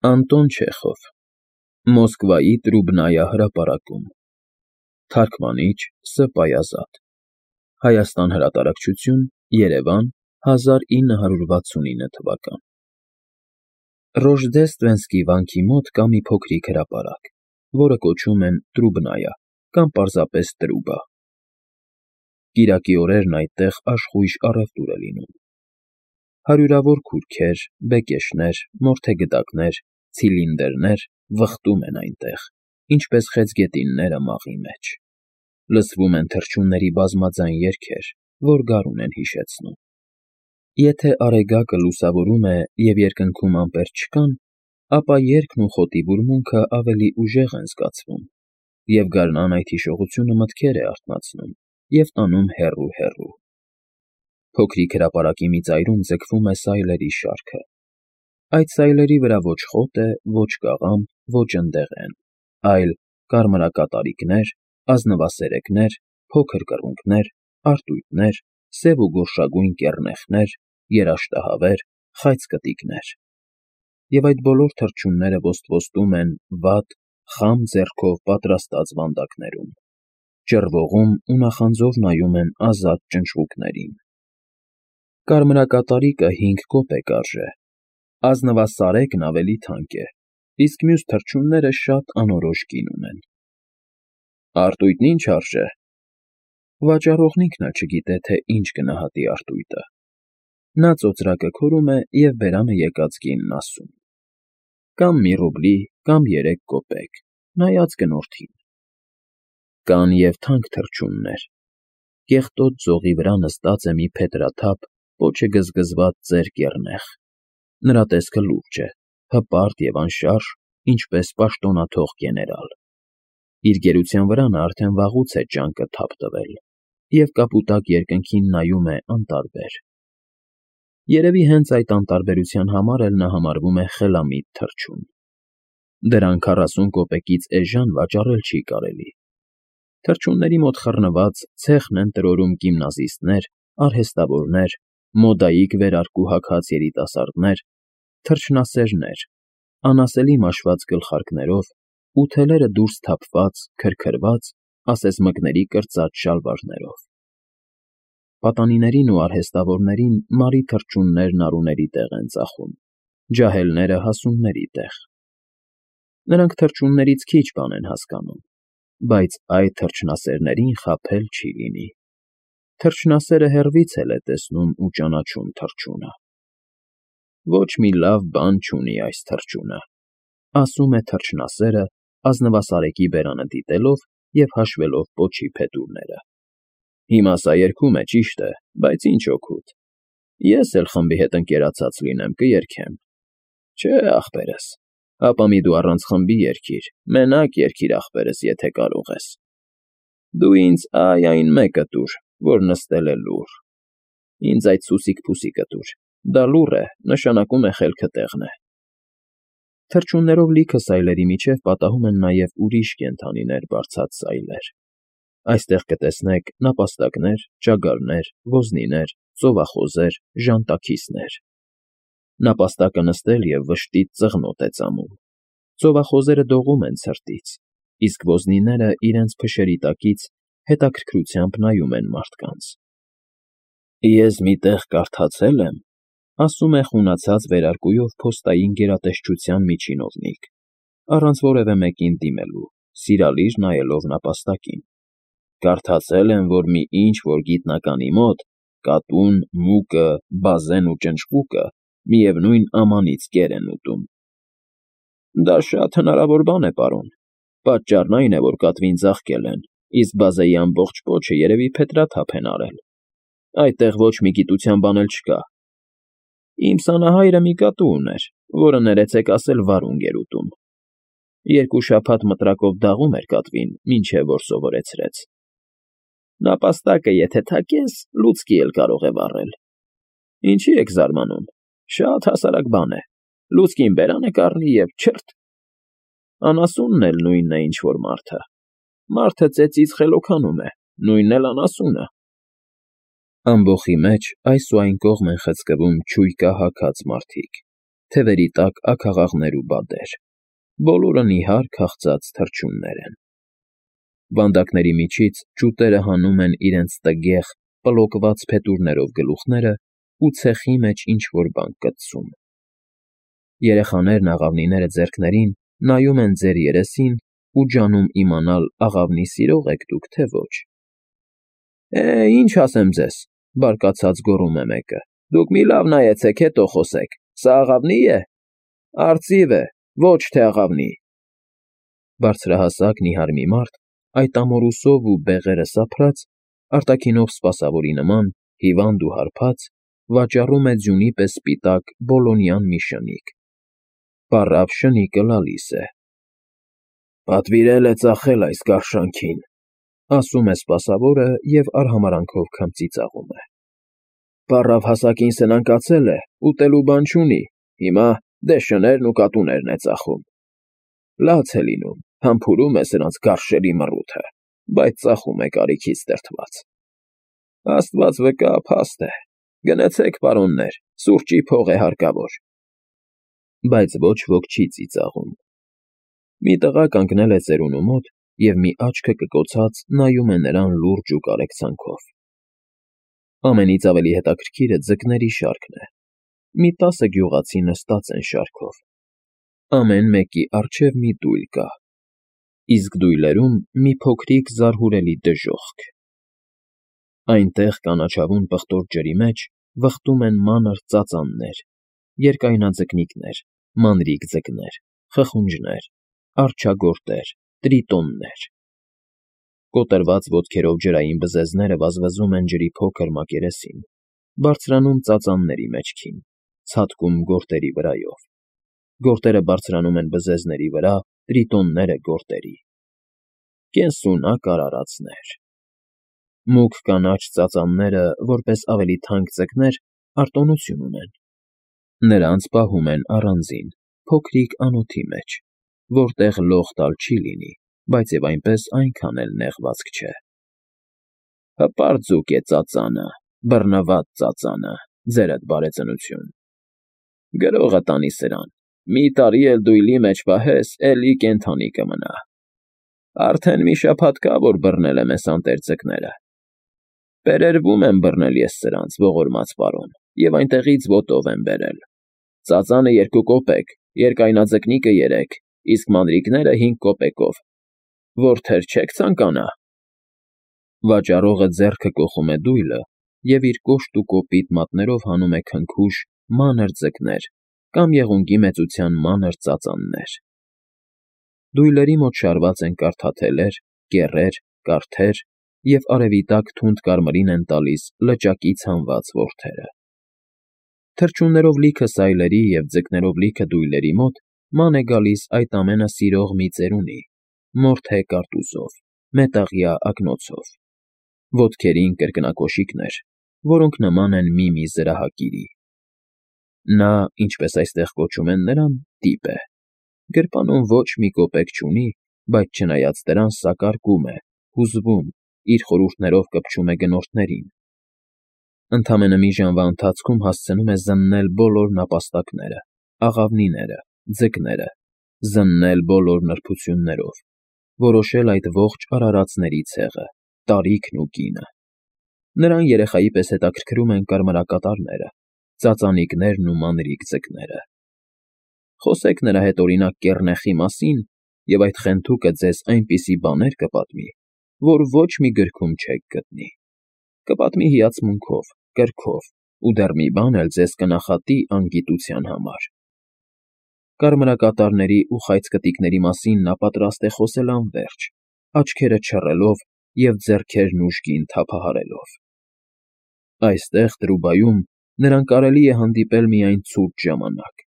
Անտոն Չեխով Մոսկվայի Տրուբնայա հրապարակում Թարգմանիչ Ս. Պայազատ Հայաստան հրատարակչություն Երևան 1969 թվական Ռոժդեստվենսկի վանքի մոտ կա մի փոքրիկ հրապարակ, որը կոչում են Տրուբնայա կամ պարզապես Տրուբա։ Կիրակի օրերն այդտեղ աշխույժ առևտուր է լինում։ Հարյուրավոր քուրքեր, բեկեշներ, մորթեգդակներ, ցիլինդրներ վխտում են այնտեղ, ինչպես խեցգետինները մաղի մեջ։ Լսվում են թռչունների բազմաձայն երգեր, որ գարուն են հիշեցնում։ Եթե Արեգակը լուսավորում է և երկնքում ամպեր չկան, ապա երգն ու խոտի բուրմունքը ավելի ուժեղ են զգացվում, և գարնան այդ հիշողությունը մտքեր է արթնացնում և տանում հեռու։ Փոքրիկ հրապարակի մի ծայրում ձգվում է սայլերի շարքը։ Այդ սայլերի վրա ոչ խոտ է, ոչ կաղամբ, ոչ ընդեղեն, այլ կարմրակատարիկներ, ազնվասերեկներ, փոքր կռունկներ, արծույթներ, սև ու գորշագույն կեռնեխներ, երաշտահավեր, խայծ կտիկներ։ Եվ այդ բոլոր թռչունները ոստվոտում են վատ, խամ ձեռքով պատրաստած վանդակներում, ճռվողում ու նախանձով նայում են ազատ ճնճղուկներին։ Կարմրակատարիկը 5 կոպեկ արժե, ազնվասարեկն ավելի թանկ է, իսկ մյուս թռչունները շատ անորոշ գին ունեն։ Արծույթն ի՞նչ արժե։ Վաճառողն ինքն էլ չգիտե, թե ինչ գնահատի արծույթը։ Նա ծոծրակը քորում է և բերանը եկած գինն ասում. Կամ մի ռուբլի, կամ 3 կոպեկ, նայած գնորդին։ Կան և թանկ թռչուններ։ Կեղտոտ ձողի վրա նստած է մի փետրաթափ, պոչը գզգզված ծեր կեռնեխ։ Նրա տեսքը լուրջ է, հպարտ և անշարժ, ինչպես պաշտոնաթող գեներալ։ Իր գերության վրա նա արդեն վաղուց է ջանքը թափ տվել և կապուտակ երկնքին նայում է անտարբեր։ Երևի հենց այդ անտարբերության համար էլ նա համարվում է խելամիտ թռչուն։ Դրան 40 կոպեկից էժան վաճառել չի կարելի։ Թռչունների մոտ խռնված ցեխն են տրորում գիմնազիստներ, արհեստավորներ, մոդայիկ վերարկու հագած երիտասարդներ, թռչնասերներ, անասելի մաշված գլխարկներով ու թելերը դուրս թափված, քրքրված, ասես մկների կրծած շալվարներով։ Պատանիներին ու արհեստավորներին մարի թռչուններն արուների տեղ են ծախում, ջահելները հասունների տեղ։ Նրանք թռչուններից քիչ բան են հասկանում, բայց այդ թռչնասերներին խաբել չի լինի։ Թռչնասերը հեռվից էլ է տեսնում ու ճանաչում թռչունը։ Ոչ մի լավ բան չունի այս թռչունը, ասում է թռչնասերը, ազնվասարեկի բերանը դիտելով և հաշվելով պոչի փետուրները։ Հիմա սա երգում է, ճիշտ է, բայց ինչ օգուտ։ Ես էլ խմբի հետ ընկերացած լինեմ, կերգեմ։ Չէ, ախպերս, ապա մի դու առանց խմբի երգիր, մենակ երգիր ախպերս, եթե կարող ես։ Դու ինձ այն մեկը տուր, որ նստել է լուռ։ Ինձ այդ սուսիկ֊փուսիկը տուր, դա լուռ է, նշանակում է խելքը տեղն է։ Թռչուններով լիքը սայլերի միջև պատահում են նաև ուրիշ կենդանիներ բարձած սայլեր։ Այստեղ կտեսնեք նապաստակներ, ճագարներ, ոզնիներ, ծովախոզեր, ժանտաքիսներ։ Նապաստակը նստել և վշտից ծղնոտ է ծամում։ Ծովախոզերը դողում են ցրտից, իսկ ոզնիները իրենց փշերի տակից հետաքրքրությամբ նայում են մարդկանց։ Ես մի տեղ կարդացել եմ, ասում է խունացած վերարկուով փոստային գերատեսչության միջինովնիկ, առանց որևէ մեկին դիմելու, սիրալիր նայելով նապաստակին։ Կարդացել եմ, որ մի ինչ֊որ գիտնականի մոտ կատուն, մուկը, բազեն ու ճնճղուկը միևնույն ամանից կեր են ուտում։ Դա շատ հնարավոր բան է, պարոն։ Պատճառն այն է, որ կատվին ծաղկել են, իսկ բազեի ամբողջ պոչը երևի փետրաթափ են արել։ Այդտեղ ոչ մի գիտության բան էլ չկա։ Իմ սանահայրը մի կատու ուներ, որը ներեցեք ասել վարունգ էր ուտում։ 2 շաբաթ մտրակով դաղում էր կատվին, մինչև որ սովորեցրեց։ Նապաստակը եթե թակես, լուցկի էլ կարող է վառել։ Ինչի եք զարմանում, շատ հասարակ բան է, լուցկին բերանը կառնի և չըրթ։ Անասունն էլ նույնն է, ինչ֊որ մարդը։ Մարդը ծեծից խելոքանում է, նույնն էլ անասունը։ Ամբոխի մեջ այս ու այն կողմ են խցկվում չույկա հագած մարդիկ, Թևերի տակ աքաղաղներ ու բադեր, բոլորը նիհար քաղցած թռչուններ են։ Վանդակների միջից ջուտերը հանում են իրենց տգեղ, պլոկված փետուրներով գլուխները ու ցեխի մեջ ինչ֊որ բան կտցում։ Երեխաներն աղավնիները ձեռքներին նայում են ձեր երեսին ու ջանում իմանալ աղավնի սիրո՞ղ եք դուք, թե ոչ։ Ինչ ասեմ ձեզ, բարկացած գոռում է մեկը, դուք մի լավ նայեցեք, հետո խոսեք, սա աղավնի՞ է։ Արծիվ է, ոչ թե աղավնի։ Բարձրահասակ նիհար մի մարդ, այդ ամորուսով ու բեղերը սափրած, արտաքինով սպասավորի նման, հիվանդ ու հարբած, վաճառում է ձյունի պես սպիտակ բոլոնյան մի շնիկ։ Պառավ շնիկը լալիս է։ Պատվիրել է ծախել այս գարշանքին, ասում է սպասավորը և արհամարանքով քմծի ծաղում է։ Պառավ հասակին սնանկացել է, ուտելու բան չունի, հիմա դե շներն ու կատուներն է ծախում։ Լաց է լինում, համբուրում է սրանց գարշելի մռութը, բայց ծախում է կարիքից դրդված։ Աստված վկա, փաստ է, գնացեք, պարոններ, սուրճի փող է հարկավոր։ Բայց ոչ ոք չի ծիծաղում։ Մի տղա կանգնել է ծերունու մոտ և մի աչքը կկոցած նայում է նրան լուրջ ու կարեկցանքով։ Ամենից ավելի հետաքրքիրը ձկների շարքն է։ Մի 10 գյուղացի նստած են շարքով։ Ամեն մեկի առջև մի դույլ կա, իսկ դույլերում մի փոքրիկ զարհուրելի դժոխք։ Այնտեղ կանաչավուն պղտոր ջրի մեջ վխտում են մանր ծածաններ, երկայնաձկնիկներ, մանրիկ ձկներ, խխունջներ, արջագորտեր, տրիտոններ։ Կոտրված ոտքերով ջրային բզեզները վազվզում են ջրի փոքր մակերեսին, բարձրանում ծածանների մեջքին, ցատկում գորտերի վրայով։ Գորտերը բարձրանում են բզեզների վրա, տրիտոնները՝ գորտերի։ Կենսունակ արարածներ։ Մուգ կանաչ ծածանները, որպես ավելի թանկ ձկներ, արտոնություն ունեն։ Նրանց պահում են առանձին, փոքրիկ անոթի մեջ, որտեղ լող տալ չի լինի, բայց և այնպես այնքան էլ նեղվածք չէ։ Հպարտ ձուկ է ծածանը, բռնված ծածանը, ձերդ բարեծնություն։ Գրողը տանի սրան, մի տարի էլ դույլի մեջ պահես, էլի կենդանի կմնա։ Արդեն մի շաբաթ կա, որ բռնել եմ էս անտեր ձկները։ Բերերվում եմ բռնել ես սրանց, ողորմած պարոն, և այնտեղից ոտով եմ բերել։ Ծածանը 2 կոպեկ, երկայնաձկնիկը 3, իսկ մանրիկները 5 կոպեկով։ Որդեր չեք ցանկանա։ Վաճառողը ձեռքը կոխում է դույլը և իր կոշտ ու կոպիտ մատներով հանում է քնքուշ, մանր ձկներ կամ եղունգի մեծության մանր ծածաններ։ Դույլերի մոտ շարված են կարդաթելեր, կեռեր, կարթեր և արևի տակ թունդ կարմիրին են տալիս լճակից հանված որդերը։ Թռչուններով լիքը սայլերի և ձկներով լիքը դույլերի մոտ ման է գալիս այդ ամենը սիրող մի ծերունի, մորթե կարտուզով, մետաղյա ակնոցով։ Ոտքերին կրկնակոշիկներ, որոնք նման են մի զրահակիրի։ Նա, ինչպես այստեղ կոչում են նրան, տիպ է։ Գրպանում ոչ մի կոպեկ չունի, բայց չնայած դրան սակարկում է, հուզվում, իր խորհուրդներով կպչում է գնորդներին։ Ընդամենը մի ժամվա ընթացքում հասցնում է զննել բոլոր նապաստակները, աղավնիները, ձկները, զննել բոլոր նրբություններով, որոշել այդ ողջ արարածների ցեղը, տարիքն ու կինը։ Նրան երեխայի պես հետաքրքրում են կարմրակատարները, ծածանիկներն ու մանրիկ ձկները։ Խոսեք նրա հետ օրինակ կեռնեխի մասին, և այդ խենթուկը ձեզ այնպիսի բաներ կպատմի, որ ոչ մի գրքում չեք գտնի։ Կպատմի հիացմունքով, կրքով, ու դեռ մի բան էլ ձեզ կնախատի անգիտության համար։ Կարմրակատարների ու խայծկտիկների մասին նա պատրաստ է խոսել անվերջ, աչքերը չռելով և ձեռքերն ուժգին թափահարելով։ Այստեղ, Տրուբայում, նրան կարելի է հանդիպել միայն ցուրտ ժամանակ,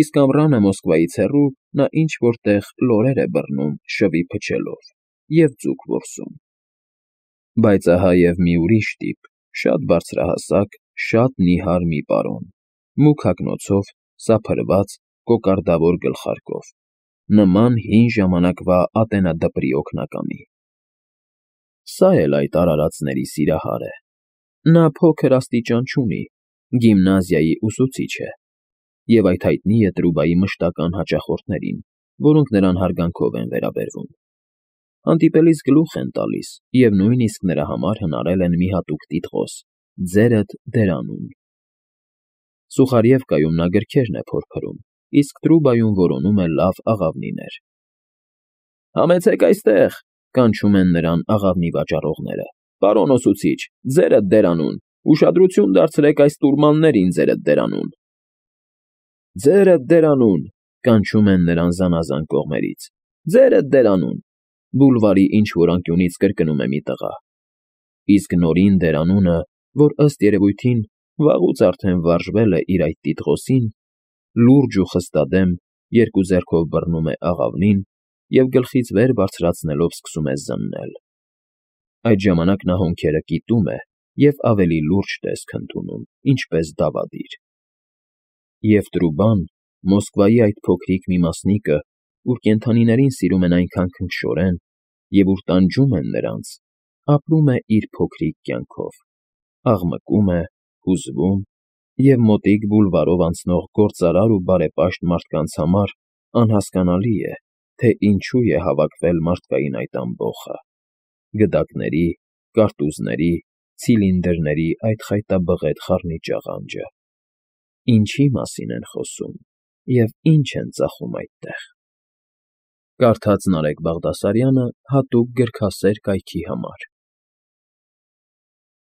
իսկ ամռանը Մոսկվայից հեռու նա ինչ֊որ տեղ լորեր է բռնում շվի փչելով և ձուկ որսում։ Բայց ահա և մի ուրիշ տիպ, շատ բարձրահասակ, շատ նիհար մի պարոն, մուգ հագնոցով, սափրված, կոկարդավոր գլխարկով, նման հին ժամանակվա ատենադպրի օգնականի։ Սա էլ այդ արարածների սիրահար է։ Նա փոքր աստիճան չունի, գիմնազիայի ուսուցիչ է։ և այդ հայտնի է Տրուբայի մշտական հաճախորդներին, որոնք նրան հարգանքով են վերաբերվում։ Հանդիպելիս գլուխ են տալիս և նույնիսկ նրա համար հնարել են մի հատուկ տիտղոս՝ «Ձերդ դերանուն»։ Սուխարևկայում նա գրքերն է փորփրում, իսկ Տրուբայում որոնում է լավ աղավնիներ։ «Համեցեք այստեղ», կանչում են նրան աղավնի վաճառողները։ «Պարոն ուսուցիչ, ձերդ դերանուն, ուշադրություն դարձրեք այս տուրմաններին ձերդ դերանուն»։ «Ձերդ դերանուն», կանչում են նրան զանազան կողմերից։ «Ձերդ դերանուն», բուլվարի ինչ֊որ անկյունից կրկնում է մի տղա։ Իսկ նորին դերանունը, որ ըստ երևույթին վաղուց արդեն վարժվել է իր այդ տիտղոսին, լուրջ ու խստադեմ երկու ձեռքով բռնում է աղավնին և գլխից վեր բարձրացնելով սկսում է զննել։ Այդ ժամանակ նա հոնքերը կիտում է և ավելի լուրջ տեսք ընդունում, ինչպես դավադիր։ Եվ Տրուբան, Մոսկվայի այդ փոքրիկ մի մասնիկը, ուր կենդանիներին սիրում են այնքան քնքշորեն և ուր տանջում են նրանց, ապրում է իր փոքրիկ կյանքով, աղմկում է, հուզվում, և մոտիկ բուլվարով անցնող գործարար ու բարեպաշտ մարդկանց համար անհասկանալի է, թե ինչու է հավաքվել մարդկային այդ ամբոխը՝ գդակների, կարտուզների, ցիլինդրների այդ խայտաբղետ խառնիճ աղանջը։ Ինչի՞ մասին են խոսում և ինչ են ծախում այդտեղ։ Կարդաց Նարեկ Բաղդասարյանը հատուկ գրքասեր կայքի համար։